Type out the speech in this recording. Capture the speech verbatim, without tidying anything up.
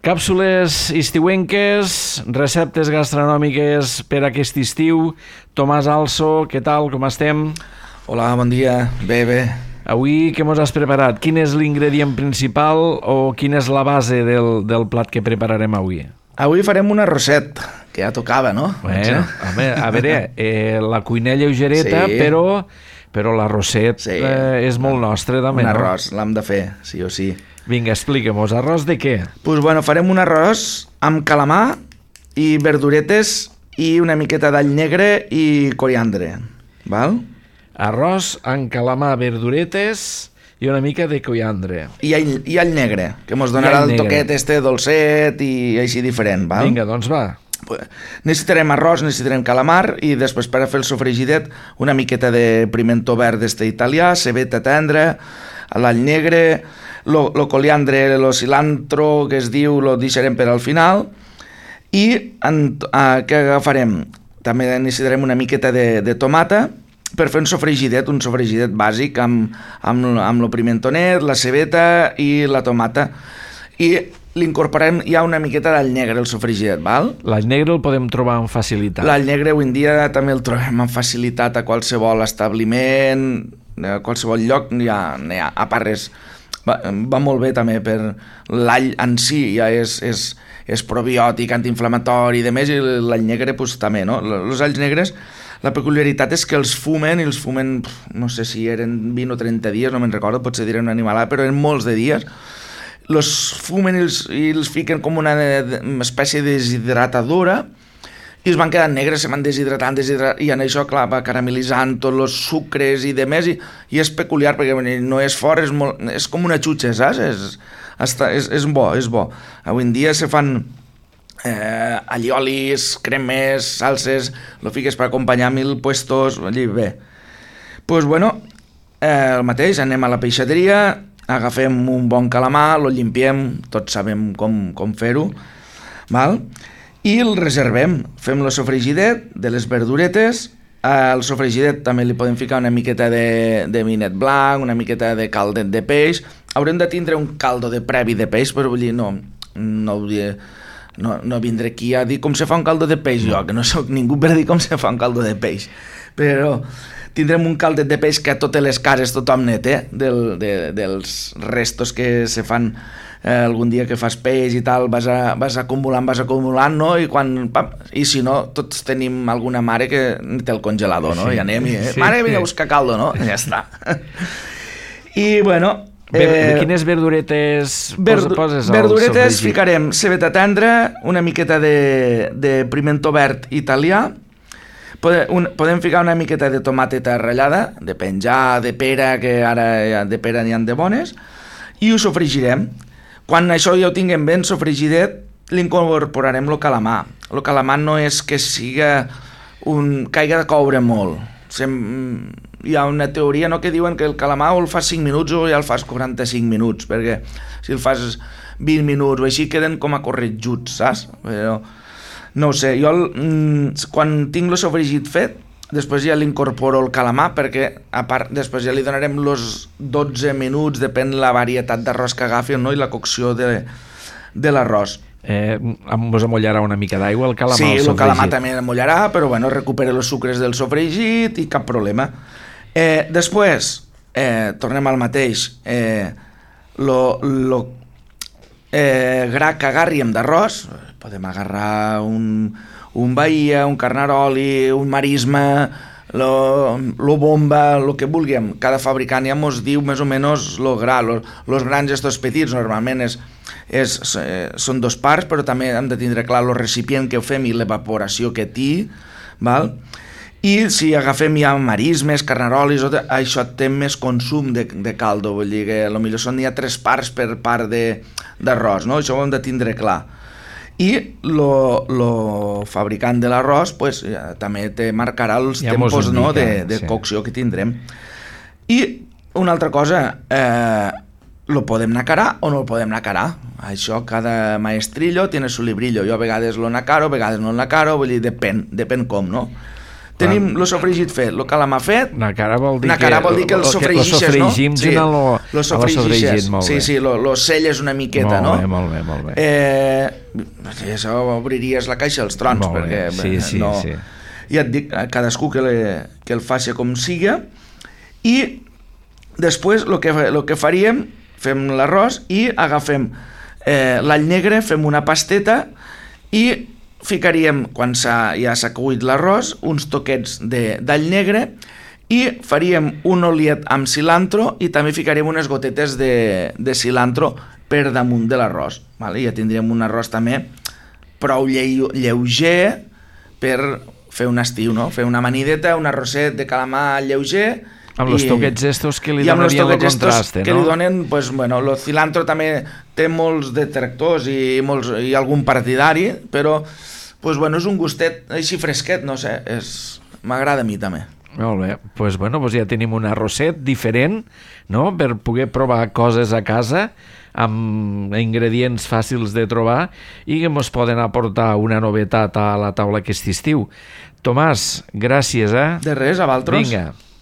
Càpsules estiuenques, receptes gastronòmiques per aquest estiu. Tomàs Also, què tal, com estem? Hola, bon dia, bé, bé. Avui què mos has preparat? Quin és l'ingredient principal o quina és la base del, del plat que prepararem avui? Avui farem un arrosset, que ja tocava, no? Bueno, home, a veure, eh, la cuina lleugereta, sí. però, però l'arrosset sí. eh, és molt nostre també, un no? Un arròs, l'hem de fer, sí o sí. Vinga, explica-mos, arròs de què? Doncs pues bueno, farem un arròs amb calamar i verduretes i una miqueta d'all negre i coriandre, val? Arròs amb calamar, verduretes i una mica de coriandre. I all, i all negre, que mos donarà el toquet este dolcet i així diferent, val? Vinga, doncs va. Necessitarem arròs, necessitarem calamar i després per a fer el sofregidet una miqueta de pimentó verd d'este italià, cebeta tendra, l'all negre, lo, lo coriandre, lo cilantro que es diu, lo deixarem per al final. I en, uh, què agafarem? També necessitarem una miqueta de, de tomata per fer un sofregidet, un sofregidet bàsic amb, amb, amb el pimentonet, la cebeta i la tomata. I l'incorporem ja una miqueta d'all negre, el sofregidet, val? L'all negre el podem trobar amb facilitat. L'all negre avui en dia també el trobem amb facilitat a qualsevol establiment, a qualsevol lloc, ja, ja, a part és, va, va molt bé també per l'all en si, ja és, és, és probiòtic, antiinflamatori i demés, i l'all negre pues, també, no? Els alls negres, la peculiaritat és que els fumen, i els fumen, no sé si eren vint o trenta dies, no me'n recordo, potser diré una animalada, però eren molts de dies, els fumen i els, i els fiquen com una espècie de deshidratadora i es van quedant negres, se van deshidratant, deshidratant i en això, clar, va caramelitzant tots els sucres i demés, i, i és peculiar perquè no és fort, és, molt, és com una xutxa, saps? És, està, és, és bo, és bo. Avui en dia se fan eh, alliolis, cremes, salses, lo fiques per acompanyar mil puestos, allí bé. Doncs, pues, bueno, eh, el mateix, anem a la peixateria, agafem un bon calamar, lo llimpiem, tots sabem com, com fer-ho, val? I el reservem, fem el sofregidet de les verduretes, al sofregidet també li podem ficar una miqueta de, de vinet blanc, una miqueta de caldet de peix, haurem de tindre un caldo de previ de peix, però vull dir, no, no, no, no vindré aquí a dir com se fa un caldo de peix, jo, que no soc ningú per dir com se fa un caldo de peix, però tindrem un caldet de peix que a totes les cases tothom net, eh? Del, de, dels restos que se fan eh, algun dia que fas peix i tal, vas, a, vas acumulant, vas acumulant, no? I quan, pam, i si no, tots tenim alguna mare que té el congelador, no? Sí, i anem, i, eh? Sí. Mare, vinga a buscar caldo, no? I ja està. I, bueno... Ver, eh, quines verduretes verdu poses al verduretes sofregit? Ficarem cebeta tendra, una miqueta de, de pimentó verd italià, Podem, un, podem ficar una miqueta de tomateta ratllada, de penjar, de pera, que ara de pera n'hi ha de bones, i ho sofregirem. Quan això ja ho tinguem ben sofregidet, l'incorporarem el calamar. El calamar no és que siga un, que hagi de coure molt. Sem, hi ha una teoria, no?, que diuen que el calamar o el fas cinc minuts o ja el fas quaranta-cinc minuts, perquè si el fas vint minuts o així queden com a corretjuts, saps? Però no ho sé, jo el, mm, quan tinc el sofregit fet, després ja l'incorporo el calamar, perquè a part, després ja li donarem els dotze minuts, depèn la varietat d'arròs que agafi, no?, i la cocció de, de l'arròs. Eh, mos amollarà una mica d'aigua el calamar? Sí, el, el calamar també amollarà, però bueno, recupera els sucres del sofregit i cap problema. Eh, després, eh, tornem al mateix, eh, lo, lo eh, gra que agarríem d'arròs, podem agarrar un, un bahia, un carnaroli, un marisma, lo, lo bomba, lo que vulguem. Cada fabricant ja mos diu més o menys lo gra, los, los grans estos petits, normalment és, és, eh, són dos parts, però també hem de tindre clar el recipient que ho fem i l'evaporació que té, val? I si agafem ja marismes, carnarolis, això té més consum de, de caldo, vull dir que potser són ja tres parts per part d'arròs, no? Això ho hem de tindre clar. I el fabricant de l'arròs pues, ja, també te marcarà els ja tempos, no, de, de sí. cocció que tindrem. I una altra cosa, eh, lo podem nacarar o no lo podem nacarar. Això, cada maestrillo tiene su librillo. Jo a vegades lo nacaro, a vegades no lo nacaro, vull dir, depèn, depèn com, no? Tenim el sofregit fet, el calamar fet. Nacara vol dir Nacara que... vol dir que el sofregixes, lo no? sofregim, Sí, lo, lo sofregixes. molt sí, bé. sí, lo, lo selles una miqueta, molt no? Molt bé, molt bé, molt bé. Eh, I això obriries la caixa als trons, molt perquè bé. Sí, sí, no... sí. Ja et dic, cadascú que, le, que el faci com siga. I després el que, lo que faríem, fem l'arròs i agafem eh, l'all negre, fem una pasteta i ficaríem, quan s'ha, ja s'ha cuit l'arròs, uns toquets d'all negre i faríem un oliet amb cilantro i també ficaríem unes gotetes de, de cilantro per damunt de l'arròs. Vale? Ja tindríem un arròs també prou lleu, lleuger per fer un estiu, no? Fer una amanideta, un arrosset de calamar lleuger. Amb els toquets estos que li donarien el contraste, no? Que li donen, pues, bueno, el cilantro també té molts detractors i, molts, i algun partidari, però pues, bueno, és un gustet així fresquet, no sé, és... m'agrada a mi també. Molt bé, pues, bueno, pues ja tenim un arrosset diferent, no?, per poder provar coses a casa amb ingredients fàcils de trobar i que ens poden aportar una novetat a la taula aquest estiu. Tomàs, gràcies, eh? De res, a vosaltres. Vinga.